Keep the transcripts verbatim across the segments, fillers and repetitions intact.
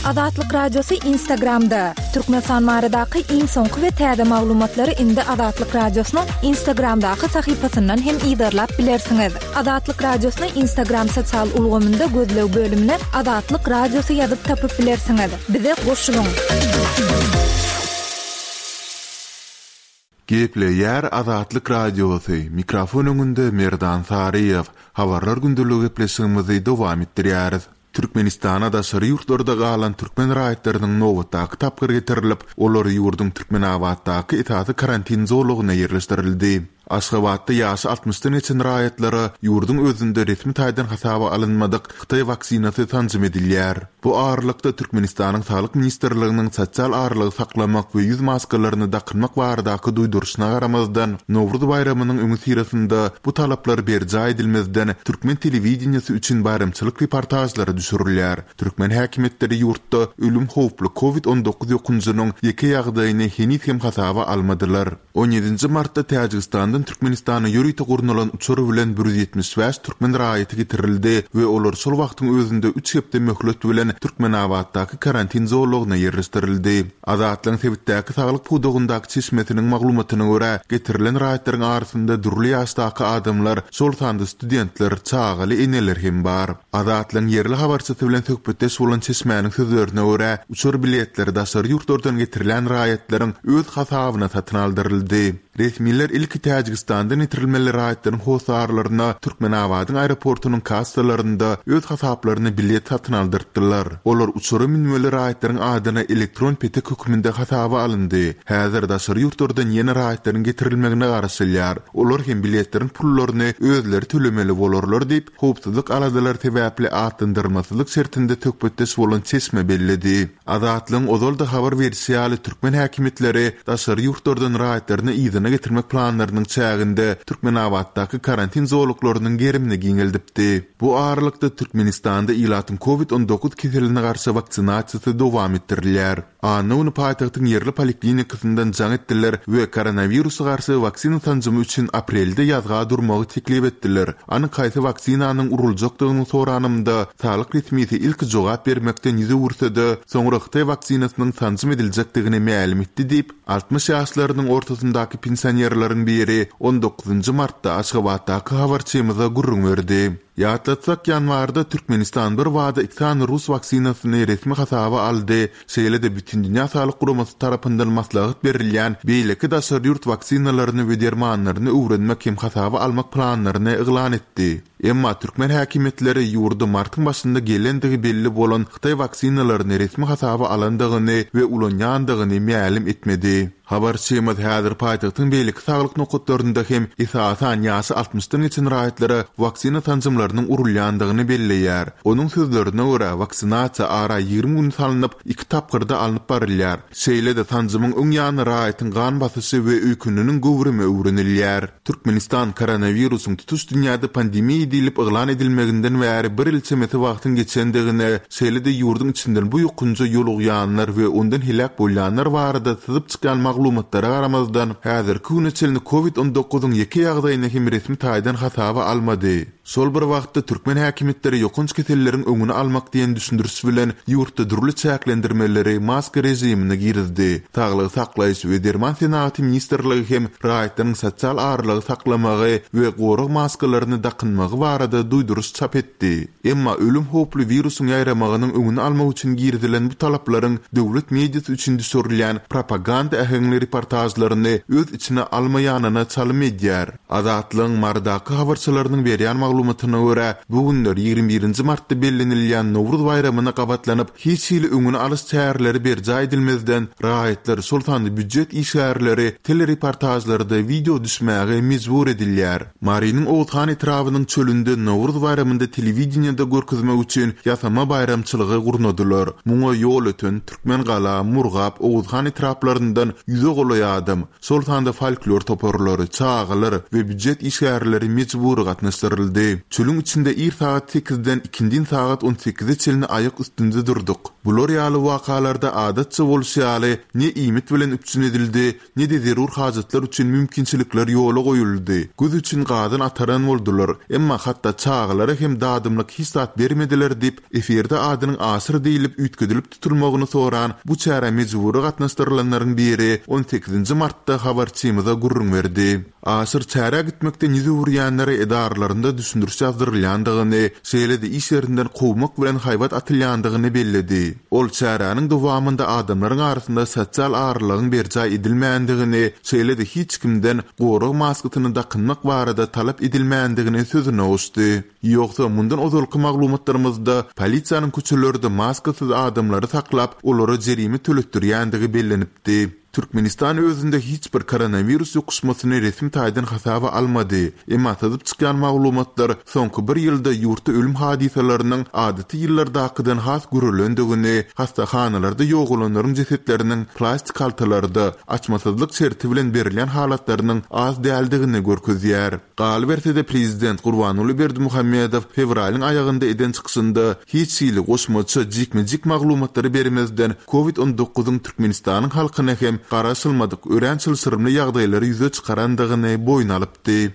Azatlyk Radiosy Instagramda. Türkmenistan baradaky iň soňky we täze maglumatlary indi Azatlyk Radiosynyň Instagramdaky sahypasyndan hem yzarlap bilersiňiz. Azatlyk Radiosyny Instagram sosial ulgamynda gözleg bölümine Azatlyk Radiosy ýazyp tapyp bilersiňiz. Bize goşulyň. Gepleýär Azatlyk Radiosy, mikrofon öňünde Merdan Saryýew. Habarlar gündeligi gepleşigimizi dowam etdirýäris. Türkmenistana daşary ýurtlarda galan türkmen raýatlarynyň nobatdaky tapgyry getirilip, olar ýurduň Türkmenabatdaky esasy karantin zolagyna ýerleşdirildi. Aşgabatda ýaşy altmyşdan geçen raýatlara ýurduň özünde resmi taýdan hasaba alynmadyk hytaý waksinasy sanjym edilýär. Bu aralykda Türkmenistanyň Saglyk ministrliginiň sosial aralygy saklamak we ýüz maskalaryny dakynmak baradaky duýduryşyna garamazdan, Nowruz baýramynyň öňüsyrasynda bu talaplar berjaý edilmezden türkmen telewideniýesi üçin baýramçylyk reportažlary düşürilýär. Türkmen häkimiýetleri ýurtda ölüm howply Covid on dokuz ýokunjynyň ýeke ýagdaýyny heniz hem hasaba almadylar. On ýedinji martda Täjigistandan Türkmenistana ýörite gurnalan uçar bilen bir ýüz ýetmiş bäş türkmen raýaty getirildi we olar şol wagtyň özünde üç hepde möhlet bilen Türkmenabatdaky karantin zolagyna ýerleşdirildi. Azatlygyň sebitdäki saglyk pudagyndaky çeşmesiniň maglumatyna görä, getirilen raýatlaryň arasynda dürli ýaşdaky adamlar, şol sanda studentler, çagaly eneler hem bar. Azatlygyň ýerli habarçysy bilen söhbetdeş bolan çeşmäniň sözlerine görä, uçar biletleri daşary ýurtlardan getirilen raýatlaryň öz hasabyna satyn aldyryldy. Resmiler ilki Täjigistandan getirilmeli raýatlaryň hossarlaryna Türkmenabadyň aeroportunyň kassalarynda öz hasaplaryna bilet satyn aldyrtdylar. Olar uçara münmeli raýatlaryň adyna elektron petek hökmünde hasaba alyndy. Häzir daşary ýurtlardan ýene raýatlaryň getirilmegine garaşylýar. Olar hem biletleriň pullaryny özleri tölemeli bolarlar diýip, howpsuzlyk aladalary sebäpli atlandyrmasyzlyk şertinde söhbetdeş bolan çeşme belledi. Azatlygyň ozal-da habar berişi ýaly türkmen häkimiýetleri daşary ýurtlardan raýatlaryny yzyna getirmek planlarynyň çäginde Türkmenabatdaky karantin zolaklarynyň gerimini giňeldipdi. Bu aralykda Türkmenistanda ilatyň Covid on dokuz keseline garşy waksinasiýasy dowam etdirilýär. Anna güni paýtagtyň ýerli poliklinikasyndan jaň etdiler we koronawirusa garşy waksina sanjymy üçin aprelde ýazga durmagy teklip etdiler. Anyk haýsy waksinanyň uruljakdygyny soranymda saglyk resmisi ilki jogap bermekden ýüz öwürse-de, soňra Hytaý waksinasynyň sanjym ediljekdigini mälim etdi diýip, altmyş ýaşlarynyň ortasyndaky pensionerleriň biri on dokuzynjy martda Aşgabatdaky habarçymyza gürrüň berdi. Ýatlatsak, ýanwarda Türkmenistan bir wada iki sany rus waksinasyny resmi hasaba aldy, şeýle-de Bütindünýä Saglyk Guramasy tarapyndan maslahat berilýän beýleki daşary ýurt waksinalaryny we dermanlaryny öwrenmek hem hasaba almak planlaryny yglan etdi. Emma türkmen häkimiýetleri ýurda martyň başynda gelendigi belli bolan Hytaý waksinalaryny resmi hasaba alandygyny we ulanýandygyny mälim etmedi. Habarçymyz häzir paýtagtyň beýleki saglyk nokatlarynda hem esasan ýaşy altmyşdan geçen raýatlara waksina sanjymlarynyň urulýandygyny belleýär. Onuň sözlerine görä, waksinasiýa ara ýigrimi gün salnyp, iki tapgyrda alnyp barylýar. Şeýle-de sanjymyň öň ýany raýatyň gan basyşy we öýküniniň göwrümi öwrenilýär. Türkmenistan koronawirusyň tutuş dünýäde pandemiýa diýlip yglan edilmeginden bäri bir ýyl çemesi wagtyň geçendigine, şeýle-de ýurduň içinden bu ýokunja ýolugýanlar we ondan heläk bolýanlar barada syzyp çykýan maglumatlara garamazdan, häzirki güne çenli Covid on dokuzyň ýeke ýagdaýyny hem resmi taýdan hasaba almady. Şol bir wagtda türkmen häkimiýetleri ýokanç keselleriň öňüni almak diýen düşündiriş bilen ýurtda dürli çäklendirmeleri maska režimine girizdi. Saglygy saklaýyş we derman senagaty ministrligi hem raýatlaryň sosial aralygy saklamagy we gorag maskalaryny dakynmagy barada duýduryş çap etdi. Emma ölüm howply wirusyň ýaýramagynyň öňüni almak üçin girizilen bu talaplaryň döwlet mediasy üçin düşürilýän propaganda äheňli reportajlaryny öz içine almaýanyna çalym edýär. Azatlygyň Marydaky habarçylarynyň berýän maglumatyna görä, bu günler ýigrimi birinji martda bellenilýän Nowruz baýramyna gabatlanyp, hiç hili öňüni alyş çäreleri berjaý edilmezden, raýatlar, şol sanda býujet işgärleri telereportajlarda wideo düşmäge mejbur edilýär. Marynyň Oguzhan etrabynyň çölünde Nowruz baýramynda telewideniýede görkezmek üçin ýasama baýramçylygy gurnadylar. Muňa ýol öten Türkmengala, Murgap, Oguzhan etraplaryndan ýüze golaý adam, şol sanda folklor toparlary, çagalar we býujet işgärleri mejbury gatnaşdyryldy. Çölüň Günüň içinde ir sagat sekizden ikindin sagat on sekize çenli aýak üstünde durduk. Bular ýaly wakalarda adatça bolşy ýaly ne iýmit bilen üpjün edildi, ne-de zerur hajatlar üçin mümkinçilikler ýola goýuldy. Göz üçin gazan ataran boldular, emma hatda çagalara hem dadymlyk hiç zat bermediler diýip, efirde adynyň aşyr diýilip üýtgedilip tutulmagyny soran bu çärä mejbury gatnaşdyrylanlaryň biri on sekizinji martda habarçymyza gürrüň berdi. Aşyr çärä gitmekden ýüz öwürýänlere edaralarynda düşündiriş ýazdyrylýandygyny, şeýle-de iş ýerinden kowmak bilen haýbat atylýandygyny belledi. Ol çäräniň dowamynda adamlaryň arasynda sosial aralygyň berjaý edilmändigini, şeýle-de hiç kimden gorag maskasyny dakynmak barada talap edilmändigini sözüne goşdy. Ýogsa mundan ozalky maglumatlarymyzda polisiýanyň köçelerde maskasyz adamlary saklap, olara jerime töletdirýändigi bellenipdi. Türkmenistan özünde hiç bir koronawirus ýokuşmasyny resmi taýdan hasaba almady. Emma syzyp çykýan maglumatlar soňky bir ýylda ýurtda ölüm hadysalarynyň adaty ýyllardakydan has görülendigini, hastahanalarda ýogalanlaryň jesetleriniň plastik haltalarda açmasyzlyk şerti bilen berilýän halatlarynyň az däldigini görkezýär. Galyberse-de prezident Gurbanguly Berdimuhamedow fewralyň aýagynda eden çykyşynda hiç hili goşmaça jikme-jik maglumatlary bermezden COVID on dokuzyň Türkmenistanyň halkyna hem garaşylmadyk örän çylşyrymly ýagdaýlary ýüze çykarandygyny boýun alypdy.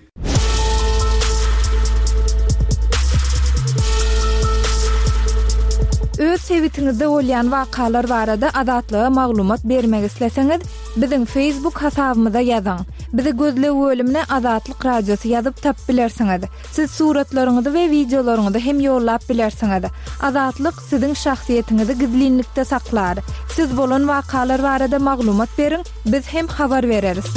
Öz sebitiňizde bolýan wakalar barada Azatlyga maglumat bermek isleseňiz, biziň Facebook hasabymyza ýazyň. Bizi gözleg bölümine Azatlyk Radiosy ýazyp tap bilersiňiz. Siz suratlaryňyzy we wideolaryňyzy hem ýollap bilersiňiz. Azatlyk siziň şahsyýetiňizi gizlinlikde saklar. Siz bolan wakalar barada maglumat beriň, biz hem habar bereris.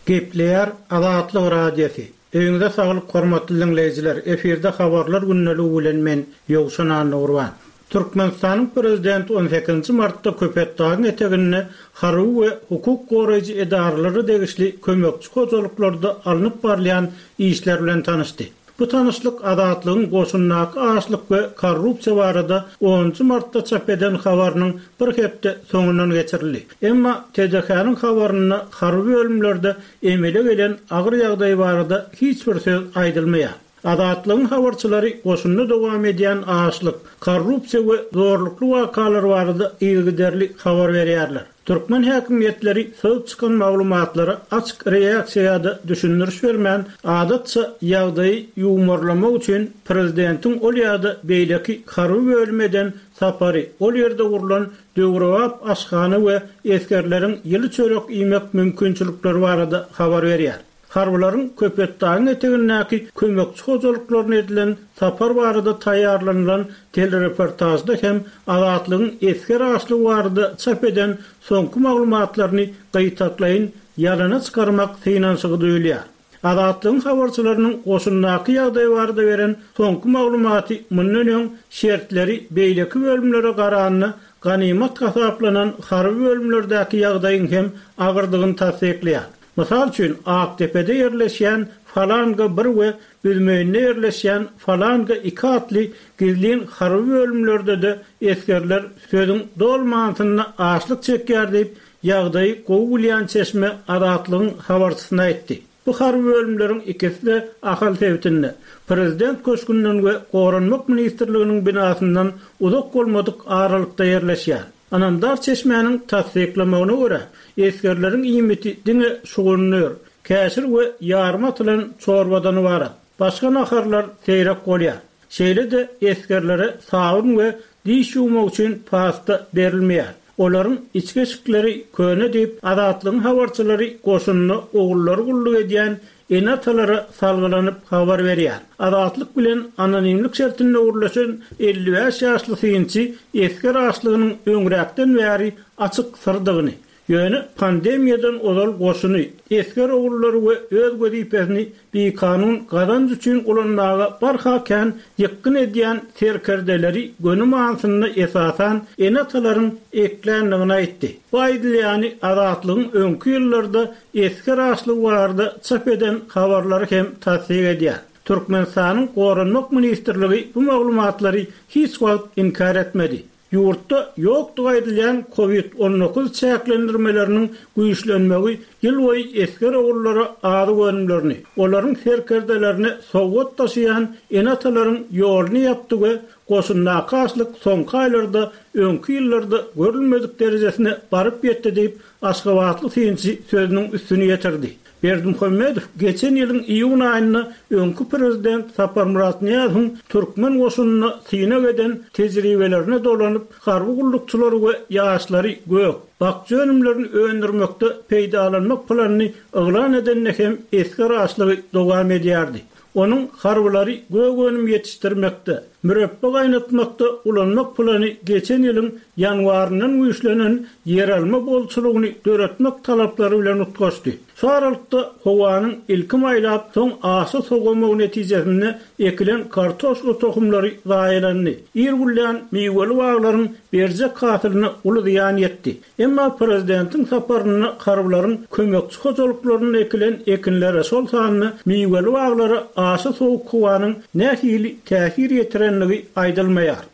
Gepleýär Azatlyk Radiosy. Öýüňize saglyk hormatly dinleýjiler. Efirde habarlar gündeligi bilen men Ýowşan Annagurban. Türkmenistanyň prezidenti on sekizinji martda Köpetdagyň eteginde harby we hukuk goraýjy edaralary degişli kömekçi hojalyklarda alnyp barylýan işler bilen tanyşdy. Bu tanyşlyk Azatlygyň goşundaky açlyk we korrupsiýa barada onunjy martda çap eden habarynyň bir hepde soňundan geçirildi. Emma T D K-nyň habarynda harby bölümlerde emele gelen agyr ýagdaý barada hiç bir söz aýdylmaýar. Azatlygyň habarçylary goşunda dowam edýän açlyk, korrupsiýa we zorlukly wakalar barada yzygiderli habar berýärler. Türkmen häkimiýetleri söz çykan maglumatlara açyk reaksiýa ýa-da düşündiriş bermän, adatça ýagdaýy ýuwmarlamak üçin prezidentiň ol ýa-da beýleki harby bölüm eden sapary, ol ýerde gurlan döwrebap aşhana we esgerleriň ýyly çörek iýmek mümkinçilikleri barada habar berýär. Harbylaryň Köpetdagyň etegindäki kömekçi hojalyklaryna edilen sapar barada taýýarlanylan telereportajda hem Azatlygyň esger açlygy barada çap eden soňky maglumatlaryny gyýtaklaýyn ýalana çykarmak synanyşygy duýulýar. Azatlygyň habarçylarynyň goşundaky ýagdaý barada beren soňky maglumaty mundan öň şertleri beýleki bölümlere garanda ganymat hasaplanan harby bölümlerdäki ýagdaýyň hem agyrdygyny tassyklaýar. Mysal üçin, Aktepe'de ýerleşýän Falanga bir we Büzmeýinde ýerleşýän Falanga iki atly gizlin harby bölümlerde-de esgerler sözüň dolmansynda açlyk çekýär diýip, ýagdaýy gowy bilýän çeşme Azatlygyň habarçysyna aýtdy. Bu harby bölümleriň ikisi de Ahal sebitinde, Prezident köşgünden we Goranmak ministrliginiň binasyndan uzak bolmadyk aralykda ýerleşýär. Anamdar çeşmäniň tassyklamagyna görä, esgerleriň iýmiti diňe şugundyr, käşir we ýarma atylan çorbadan ybarat. Başga naharlar seýrek bolýar. Şeýle-de esgerlere sabyn we diş ýuwmak üçin pasta berilmeýär. Olaryň içki eşikleri köne diýip, Azatlygyň habarçylary goşunda ogullary gulluk edýän ene-atalara salgylanyp habar berýär. Azatlyk bilen anonimlik şertinde gurlaşan elli bäş ýaşly synçy esger açlygynyň öňräkden bäri açyk syrdygyny, ýöne pandemiýadan ozal goşuny, esger ogullary we öz wezipesini bikanun gazanç üçin ulanmaga barha kän ýykgyn edýän serkerdeleri göni manysynda esasan ene-atalaryň ekländigini aýtdy. Bu aýdylýany Azatlygyň öňki ýyllarda esger açlygy barada çap eden habarlary hem tassyk edýär. Türkmenistanyň Goranmak ministrligi bu maglumatlary hiç wagt inkar etmedi. Ýurtda ýokdugy aýdylýan Covid on dokuz çäklendirmeleriniň güýçlenmegi ýyl boýy esger ogullara azyk önümlerini, olaryň serkerdelerini sowgat taşıyan ene-atalaryň ýoluny ýapdy we goşundaky açlyk soňky aýlarda öňki ýyllarda görülmedik derejesine baryp ýetdi diýip Aşgabatly synçy sözüniň üstüni ýetirdi. Berdimuhamedow geçen ýylyň iýun aýynda öňki prezident Saparmyrat Nyýazowyň türkmen goşunyna synag eden tejribelerine dolanyp, harby gullukçylary we ýaşlary gök, bakja önümlerini öndürmekde peýdalanmak planyny yglan edende hem esger açlygy dowam edýärdi. Onuň harbylary gök önüm ýetişdirmekde, mürepbe gaýnatmakda ulanmak plany geçen ýylyň ýanwaryndan güýçlenen ýeralma bolçulygyny döretmek talaplary bilen utgaşdy. Şu aralykda howanyň ilki maýlap, soň aşa sowamagy netijesinde ekilen kartoşka tohumlary zaýalandy. Ir gülýän miweli baglaryň berjek hasylyna uly zyýan ýetdi. Emma prezidentiň saparynda harbylaryň kömekçi hojalyklaryna ekilen ekinlere, şol sanda miweli baglara aşa sowuk howanyň nähili täsir ýetirenligi aýdylmaýar.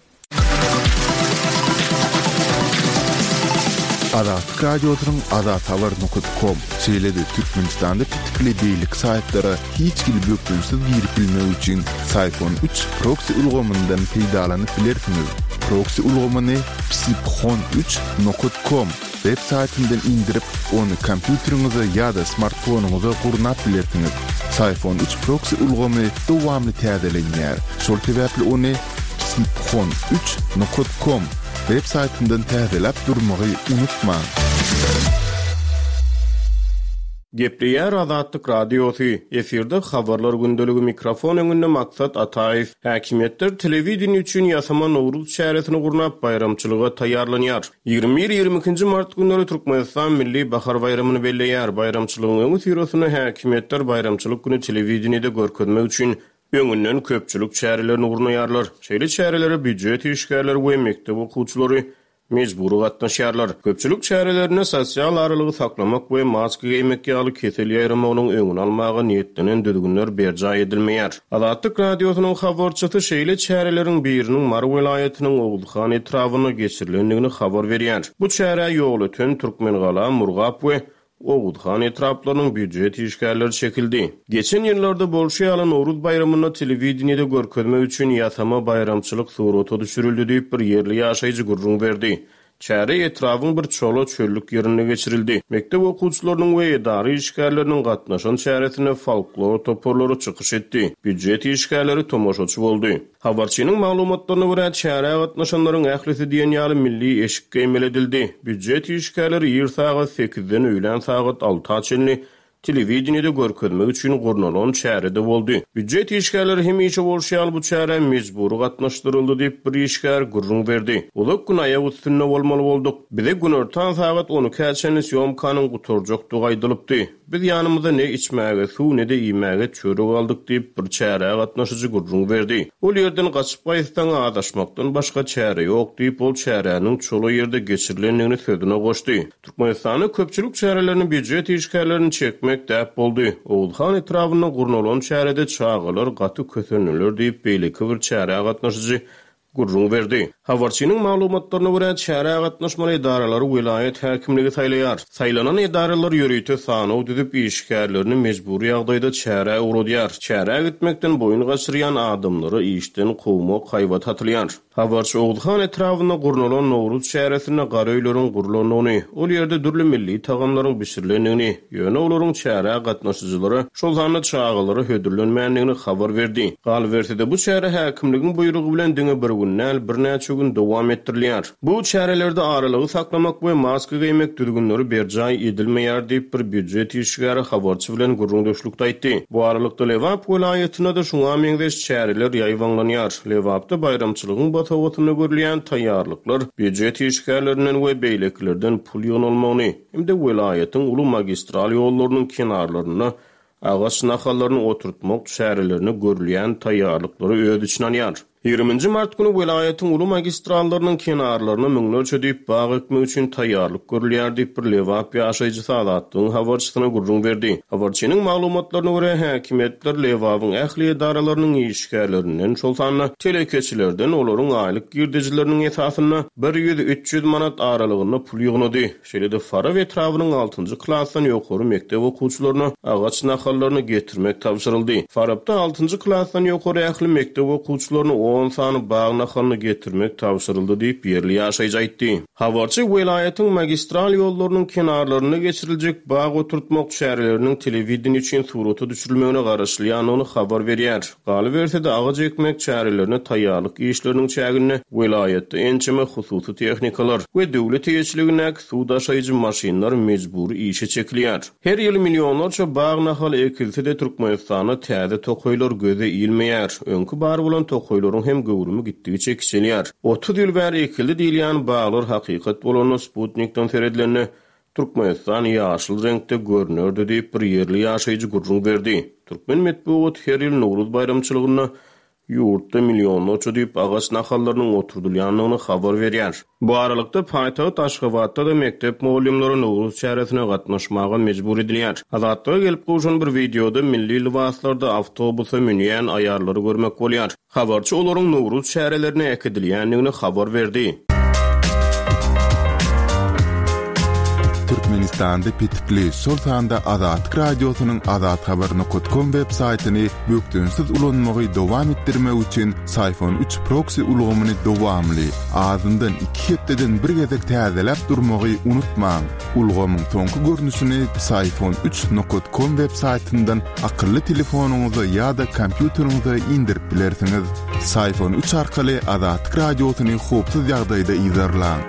Azatlyk Radiosynyň azathabar nokta com şeýle-de Türkmenistanda petikli beýleki saýtlara hiç hili bökdençsiz girip bilmek üçin Syfon üç proxy ulgamyndan peýdalanyp bilersiňiz. Proxy ulgamyny psiphon üç nokta com web saýtyndan indirip, ony kompýuteriňize ýa-da smartfonyňyza gurnap bilersiňiz. Syfon üç proxy ulgamy dowamly täzelenýär. Şol sebäpli ony psiphon üç nokta com web saýtyndan täzeläp durmagy unutmaň. Gepleýär Azatlyk Radiosy, efirde habarlar gündeligi mikrofon öňünde Maksat Ataýew. Häkimiýetler telewideniýe üçin ýasama Nowruz çäresini gurnap baýramçylyga taýýarlanýar. Ýigrimi bir ýigrimi ikinji mart günleri Türkmenistan Milli Bahar baýramyny belleýär. Baýramçylygyň öňi syrasynda häkimiýetler baýramçylyk günü telewideniýede görkezmek üçin öňünden köpçülik çärelerini gurnaýarlar. Şeýle çärelere býujet işgärleri we mekdep okuwçylary mejbury gatnaşýarlar. Köpçülik çärelerinde sosial aralygy saklamak we maska geýmek ýaly kesel ýaýramagynyň öňüni almaga niýetlenen düzgünler berjaý edilmeýär. Azatlyk Radiosynyň habarçysy şeýle çäreleriň biriniň Mary welaýatynyň Oguzhan etrabynda geçirilendigini habar berýär. Bu çärä ýol öten Türkmengala, Murgap we Oguzhan etraplarynyň býujet işgärleri çekildi. Geçen ýyllarda bolşy ýaly Nowruz baýramynda telewideniýede görkezmek üçin ýasama baýramçylyk surata düşürildi diýip bir ýerli ýaşaýjy gürrüň berdi. Çäre etrabın bir çola çöllük ýerinde geçirildi. Mekdep okuwçylarynyň we edara işgärleriniň gatnaşan çäresine folklor toparlary çykyş etdi. Býujet işgärleri tomaşaçy boldy. Habarçynyň maglumatlaryna görä çärä gatnaşanlaryň ählisi diýen ýaly milli eşik geýmeli edildi. Býujet işgärleri ir sagat sekizden öýlän sagat alta çenli telewideniýede görkezmek üçin gurnalan çärede boldy. Býujet işgärleri hemişe bolşy ýaly bu çärä mejbury gatnaşdyryldy diýip bir işgär gürrüň berdi. Uzak gün aýak üstünde bolmaly bolduk. Bize günortan sagat on ikä çenli sýomkanyň gutarjakdygy aýdylypdy. Biz ýanymyzda ne içmäge suw ne-de iýmäge çörek aldyk diýip bir çärä gatnaşyjy gürrüň berdi. Ol ýerden gaçyp gaýtsaň adaşmakdan başga çäre ýok diýip ol çäräniň çola ýerde geçirilendigini sözüne goşdy. Türkmenistanda köpçülik çärelerini býujet işgärlerini çekmek däp boldy. Oguzhan etrabynda gurnalan çärede çagalar gaty kösendiler diýip beýleki bir çärä gatnaşyjy gürrüň berdi. Habarçynyň maglumatlaryna görä çärä gatnaşmaly edaralary welaýat häkimligi saýlaýar. Saýlanan edaralar ýörite sanaw düzüp işgärlerini mejbury ýagdaýda çärä ugradýar. Çärä gitmekden boýun gaçyrýan adamlary işden kowmak haýbat atylýar. Habarçy Oguzhan etrabynda gurnalan Nowruz çäresinde garöýleriň gurlandygyny, ol ýerde dürli milli tagamlaryň bişirilendigini, ýöne olaryň çärä gatnaşyjylara, şol sanda çagalara hödürlenmändigini habar berdi. Galyberse-de bu çäre häkimligiň buýrugy bilen diňe bir gün däl, birnäçe gün dowam etdirilýär. Bu çärelerde aralygy saklamak we maska geýmek düzgünleri berjaý edilmeýär diýip bir býujet işgäri habarçy bilen gürrüňdeşlikde aýtdy. Bu aralykda Lebap welaýatynda da şuňa meňzeş çäreler ýaýbaňlanýar. Lebapda baýramçylygyň basawatynda görülýän taýýarlyklar býujet işgärlerinden we beýlekilerden pul ýygnalmagyny hem-de welaýatyň uly magistral ýollarynyň kenarlarynda agaç nahallaryny oturtmak çärelerini görülýän taýýarlyklary öz içine alýar. Ýigriminji mart güni welaýatyň uly magistrallarynyň kenarlaryna müňlerçe düýp bag ekmek üçin taýýarlyk görülýär diýip, bir Lebap ýaşaýjysy Azatlygyň habarçysyna gürrüň berdi. Habarçynyň maglumatlaryna görä, häkimiýetler Lebabyň ähli edaralarynyň işgärlerinden, şol sanda telekeçilerden olaryň aýlyk girdejileriniň esasynda bir ýüz-üç ýüz manat aralygynda pul ýygnady. Şeýle-de Farap etrabynyň altynjy klasdan ýokary mekdep okuwçylaryna agaç nahallaryny getirmek tabşyryldy. Farapda altynjy klasdan ýokary ähli mekdep okuwçylaryna on sany bag nahalyny getirmek tabşyryldy diýip, ýerli ýaşaýjy aýtdy. Habarçy welaýatyň magistral ýollarynyň kenarlarynda geçiriljek bag oturtmak çäreleriniň telewideniýe üçin surata düşürilmegine garaşylýandygyny habar berýär. Galyberse-de agaç ekmek çärelerine taýýarlyk işleriniň çäginde welaýatda ençeme hususy tehnikalar we döwlet eýeçiligindäki suw daşaýjy maşynlar mejbury işe çekilýär. Her ýyl millionlarça bag nahaly ekilse-de Türkmenistanda täze tokaýlar göze ilmeýär. Öňki bar bolan tokaýlaryň hem göwrümi gitdigiçe kiçelýär. Otuz ýyl bäri ekildi diýilýän baglar hakykat bolanda Sputnikden seredilende Türkmenistan ýaşyl reňkde görünerdi diýip bir ýerli ýaşaýjy gürrüň berdi. Türkmen metbugaty her ýyl Nowruz baýramçylygynda ýurtda millionlarça düýp agaç nahallarynyň oturdylýandygyny habar berýär. Bu aralykda paýtagt Aşgabatda-da mekdep mugallymlary Nowruz çäresine gatnaşmaga mejbur edilýär. Azatlyga gelip gowşan bir wideoda milli lybaslarda awtobusa münýän aýallary görmek bolýar. Habarçy olaryň Nowruz çärelerine äkidilýändigini habar berdi. Türkmenistanda petikli, şol sanda Azatlyk Radiosynyň azathabar nokta com web saýtyny bökdençsiz ulanmagy dowam etdirmek üçin Syfon üç proxy ulgamyny dowamly, azyndan iki hepdeden bir gezek täzeläp durmagy unutmaň. Ulgamyň soňky görnüşini Syfon üç nokta com web saýtyndan akylly telefonyňyza ýa-da kompýuteriňize indirip bilersiňiz. Syfon üç arkaly Azatlyk Radiosyny howpsuz ýagdaýda yzarlaň.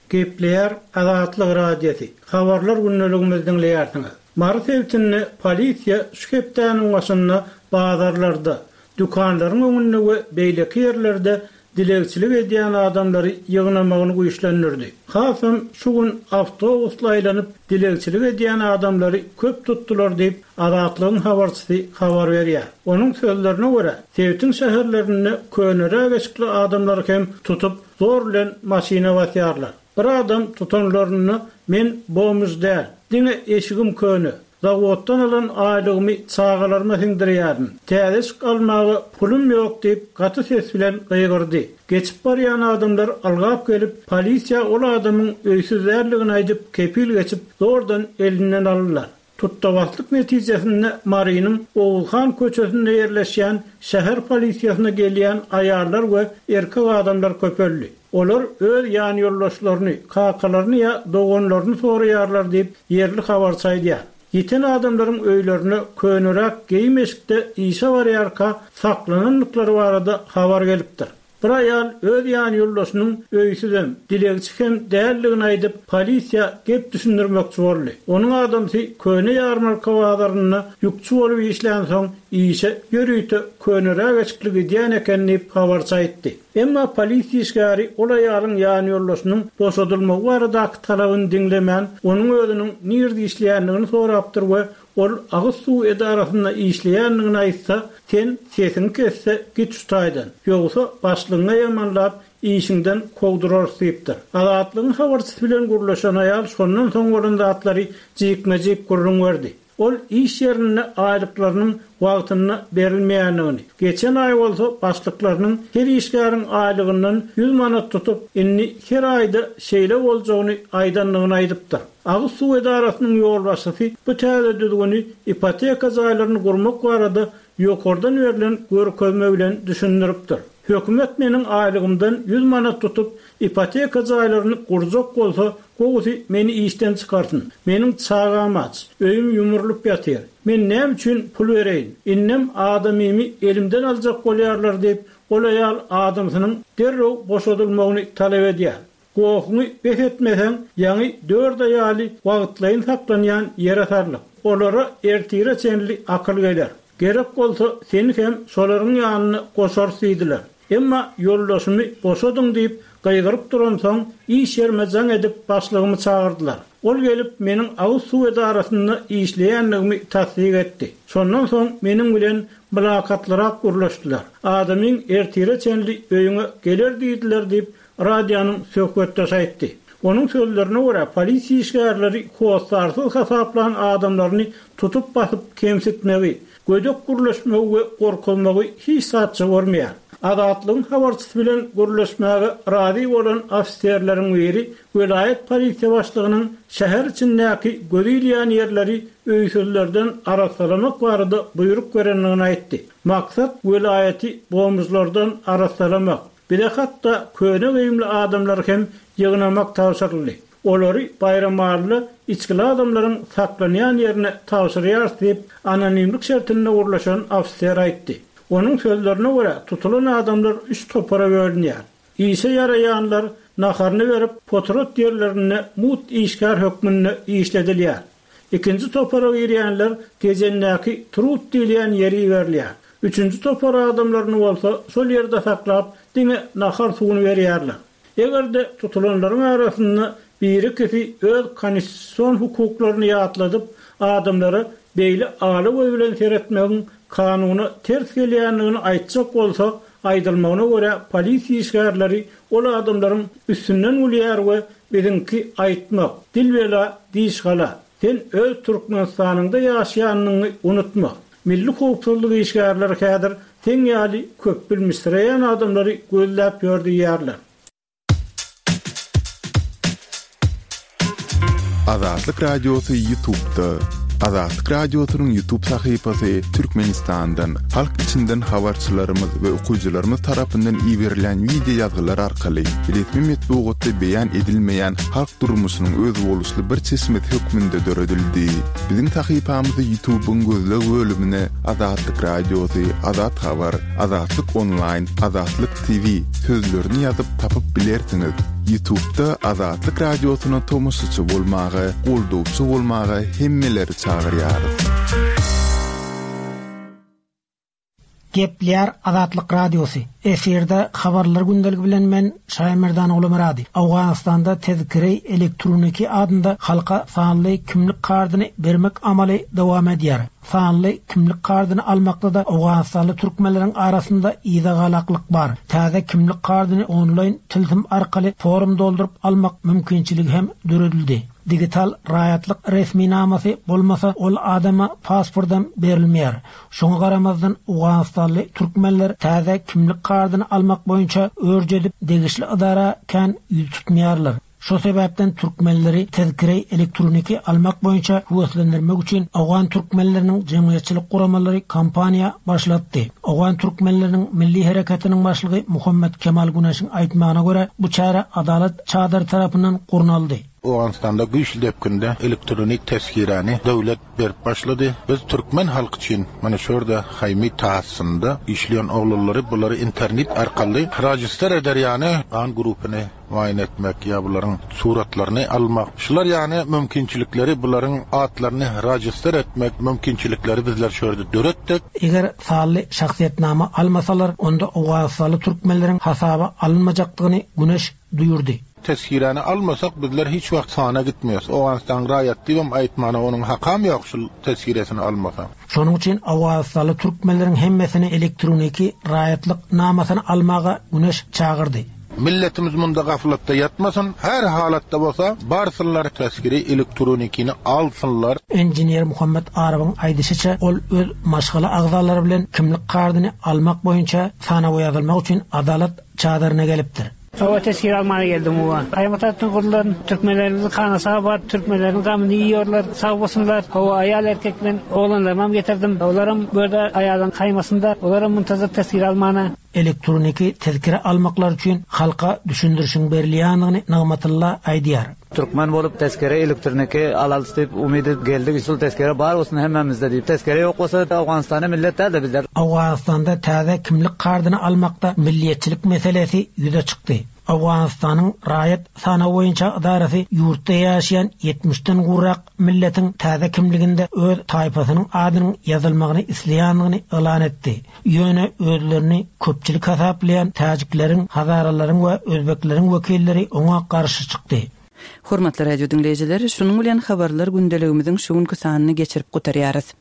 Gepleýär Azatlyk Radiosy. Habarlar gündeligimizi diňleýärsiňiz. Mary sebitinde polisiýa şu hepdäniň başynda bazarlarda, dükanlaryň öňünde we beýleki ýerlerde dilegçilik edýän adamlary ýygnamagyny güýçlendirdi. Hasam şu gün awtobusla aýlanyp dilegçilik edýän adamlary köp tutdular diýip Azatlygyň habarçysy habar berýär. Onuň sözlerine görä, sebitiň şäherlerinde köneräk eşikli adamlary hem tutup zor bilen maşyna basýarlar. Bir adam tutanlarynda men bomuz däl, diňe eşigim köne. Zawoddan alan aýlygymy çagalaryma siňdirýärin. Täze eşik almaga pulum ýok diýip gaty ses bilen gygyrdy. Geçip barýan adamlar algap gelip, polisiýa ol adamyň öýsüz däldigini aýdyp, kepil geçip zordan elinden aldylar. Tuttabaslyk netijesinde Marynyň Oguzhan köçesinde ýerleşýän şäher polisiýasyna gelýän aýallar we erkek adamlar köpeldi. Olar öz ýan ýoldaşlaryny, kakalaryny ýa doganlaryny soraýarlar diýip ýerli habarçy aýdýar. Ýeten adamlaryň öýlerine köneräk geýim eşikde işe barýarka saklanandyklary barada habar gelipdir. Bir aýal öz ýan ýoldaşynyň öýsüzem, dilegçi hem däldigini aýdyp, polisiýa gep düşündirmekçi boldy. Onuň adamsy köne ýarmarka bazarynda ýükçi bolup işlän soň işe ýörite köneräk eşikli gidýän eken diýip habarçy aýtdy. Emma polisiýa işgäri ol aýalyň ýan ýoldaşynyň boşadylmagy baradaky talabyny diňlemän, onuň özüniň nirde işleýändigini sorapdyr we ol agyz suw edarasynda işleýändigini aýtsa, sen sesiňi kesse git şu taýdan. Ýogsa başlygyňa ýamanlap işiňden kowdurarys diýipdir. Azatlygyň habarçysy bilen gürleşen aýal şondan soň bolan zatlary jikme-jik gürrüň berdi. Ol iş ýerinde aýlyklarynyň wagtynda berilmeýändigini, geçen aý bolsa başlyklarynyň her işgäriň aýlygyndan ýüz manat tutup, indi her aýda şeýle boljagyny aýdandygyny aýdypdyr. Agyz suw edarasynyň ýolbaşçysy bu täze düzgüni ipoteka jaýlaryny gurmak barada ýokardan berlen görkezme bilen düşündiripdir. Hökümet meniň aýlygymdan ýüz manat tutup, ipoteka jaýlaryny gurjak bolsa, gowusy meni işden çykarsyn. Meniň çagam aç, öýüm ýumrulyp ýatyr. Men näme üçin pul bereýin? Indem adamymy elimden aljak bolýarlar diýip, ol aýal adamsynyň derrew boşadylmagyny talap edýär. Gohuňy bes etmeseň, ýaňy dört aýaly wagtlaýyn saklanýan ýere sarlyk. Olara ertire çenli akyl geler. Gerek bolsa seni hem şolaryň ýanyna goşarys diýdiler. Emma ýoldaşymy boşadyň diýip gygyryp duransoň, iş ýerime jaň edip başlygymy çagyrdylar. Ol gelip meniň agyz suw edarasynda işleýändigimi tassyk etdi. Şondan soň meniň bilen mylakatlyrak gürleşdiler. Adamyň ertire çenli öýüňe geler diýdiler diýip, radionyň söhbetdeşi aýtdy. Onuň sözlerine görä, polisiýa işgärleri hossarsyz hasaplan adamlaryny tutup basyp kemsitmegi, gödek gürleşmegi we gorkuzmagy hiç zatça görmeýär. Azatlygyň habarçysy bilen gürleşmäge razy bolan ofiserleriň biri welaýat polisiýa başlygynyň şäher içindäki gözi ilýän ýerleri öýsüzlerden arassalamak barada buýruk berendigini aýtdy. Maksat welaýaty bomžlardan arassalamak. Bize hatda köne geýimli adamlar hem ýygnamak tabşyryldy. Olary Baýramalyda içgili adamlaryň saklanýan ýerine tabşyrýarys diýip, anonimlik şertinde gürleşen ofiser aýtdy. Onuň sözlerine görä, tutulan adamlar üç topara bölünýär. Işe ýaraýanlar naharyny berip, potrat ýerlerinde mugt işgär hökmünde işledilýär. Ikinji topara girýänler Tejendäki Trut diýilýän ýeri berilýär. Üçünji topar adamlaryny bolsa şol ýerde saklap, diňe nahar suwuny berýärler. Eger-de tutulanlaryň arasynda biri-ikisi öz konstitusion hukuklaryny ýatladyp, adamlara beýle ala göz bilen seretmegiň kanuna ters gelýändigini aýtjak bolsa, aýdylmagyna görä, polisiýa işgärleri ol adamlaryň üstünden gülýär we biziňki aýtmak, dil bela, diş gala. Sen öz Türkmenistanyňda ýaşaýanyňy unutma. Milli howpsuzlyk işgärleri häzir seň ýaly köp bilmişsireýän adamlary gözläp ýör diýýärler. Azatlyk Radiosy YouTube'da. Azatlyk Radiosynyň YouTube sahypasy Türkmenistandan, halk içinden habarçylarymyz we okyjylarymyz tarapyndan iberilen wideo ýazgylar arkaly resmi metbugatda beýan edilmeýän halk durmuşynyň özboluşly bir çeşmesi hökmünde döredildi. Biziň sahypamyzy YouTube'yň gözleg bölümine Azatlyk Radiosy, Azat Habar, Azatlyk Online, Azatlyk T V sözlerini ýazyp tapyp bilersiňiz. YouTube'da Azatlyk Radiosyna tomaşaçy bolmaga, goldawçy bolmaga hemmeleri çagyrýarys. Gepleýär Azatlyk Radiosy. Efirde habarlar gündeligi bilen men Şaýmerdan Ogulmyrady. Owganystanda tezkiri elektroniki adynda halka sanly kimlik kartyny bermek amaly dowam edýär. Sanly kimlik kartyny almakda da Owganistanly türkmenleriň arasynda yzagalaklyk bar. Täze kimlik kartyny onlaýn tilsim arkaly forum dolduryp almak mümkinçiligi hem döredildi. Digital raýatlyk resminamasy bolmasa ol adama pasportam berilmeýär. Şoňa garamazdan Owganistanly türkmenler täze kimlik kartyny almak boýunça örjedip degişli idara kän ýüz tutmaýarlar. Şo sebäpden türkmenleri tezkire elektroniki almak boýunça höweslendirmek üçin Owgan türkmenleriniň jemgyýetçilik guramalary kampaniýa başlatdy. Owgan türkmenleriniň milli hereketiniň başlygy Muhammed Kemal Güneşiň aýtmagyna görä bu çäre Adalat çadyry tarapyndan gurnaldy. Owganystanda güýçli depginde elektronik tezkirani döwlet berip başlady. Biz türkmen halky üçin mana şurada haýmy tahassynda işleýän oglanlary bulary internet arkaly register eder ýany gan grupyny muaýene etmek ýa bularyň suratlaryny almak. Şular ýany mümkinçilikleri bularyň atlaryny register etmek mümkinçilikleri bizler şurada döretdik. Eger sanly şahsyýetnama almasalar, onda Owganistanly türkmenleriň hasaba alynmajakdygyny Güneş duýurdy. Tezkirani almasak bizler hiç wagt sana gitmiyoruz. Owganistan raýat diýibem aýtmana onuň hakam ýok şul tezkiresini almasa. Şonuň üçin Owganistanly türkmenleriň hemmesini elektroniki raýatlyk namasyny almaga Güneş çagyrdy. Milletimiz munda gaflatda ýatmasyn, her halatda bolsa barsynlar tezkiri elektronikini alsynlar. Engineer Muhammed Arabyň aýdyşyça ol öz maşgala agzalary bilen kimlik kartyny almak boýunça sanawa ýazylmak üçin Adalat çadyryna gelipdir. Hawa tezkir almana geldim uwa. Kaýmatatdan gurlan türkmenlerimizi kanasa bar, türkmenlerin gamyny yiyorlar, sag bolsunlar. Hawa aýal erkek men oglanlarymam getirdim. Olaram bu ýerde aýalyň kaýmasynda, olaram muntazir tezkir almana. Elektroniki tezkire almaklar üçin halka düşündirişiň berilýändigini Nygmatullah aýdýar. Türkmen bolup tezkere elektroniki alalys diýip umyt edip geldik. Şul tezkere bar bolsun hemmemizde diýip. Tezkere ýok bolsa Owganystanda millet däl-de bizler. Owganystanda täze kimlik kartyny almakda milliýetçilik meselesi ýüze çykdy. Owganystanyň raýat sanawy boýunça idarasy ýurtda ýaşaýan ýetmişden gowrak milletiň täze kimliginde öz taýpasynyň adynyň ýazylmagyny isleýändigini yglan etdi. Ýöne özlerini köpçülik hasaplaýan täjikleriň, hazaralaryň we özbekleriň wekilleri oňa garşy çykdy. Hormatly radio diňleýjiler, şunuň bilen habarlar gündeligimiziň şu günki sanyny geçirip gutarýarys.